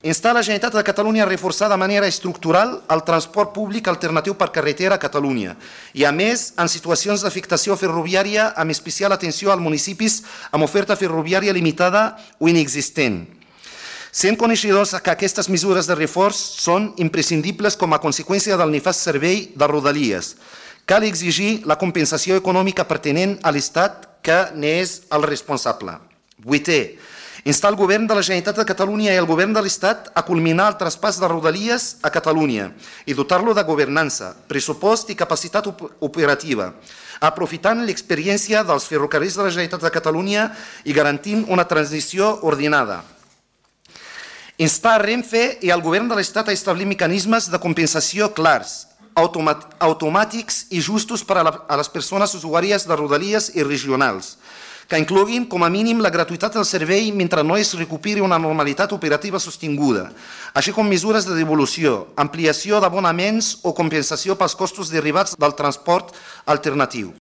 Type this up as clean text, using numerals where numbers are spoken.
Insta la Generalitat de Catalunya a reforçar de manera estructural el transport públic alternatiu per carretera a Catalunya i, a més, en situacions d'afectació ferroviària, amb especial atenció als municipis amb oferta ferroviària limitada o inexistent. Sent coneixedors que aquestes mesures de reforç són imprescindibles com a conseqüència del nefast servei de Rodalies, cal exigir la compensació econòmica pertinent a l'Estat que n'és el responsable. 8è. Instar el govern de la Generalitat de Catalunya i el govern de l'Estat a culminar el traspàs de Rodalies a Catalunya i dotar-lo de governança, pressupost i capacitat operativa, aprofitant l'experiència dels ferrocarrils de la Generalitat de Catalunya i garantint una transició ordenada. Instar a Renfe i al govern de l'Estat a establir mecanismes de compensació clars, automàtics i justos per a les persones usuàries de Rodalies i regionals, que incloguin com a mínim la gratuïtat del servei mentre no es recuperi una normalitat operativa sostinguda, així com mesures de devolució, ampliació d'abonaments o compensació pels costos derivats del transport alternatiu.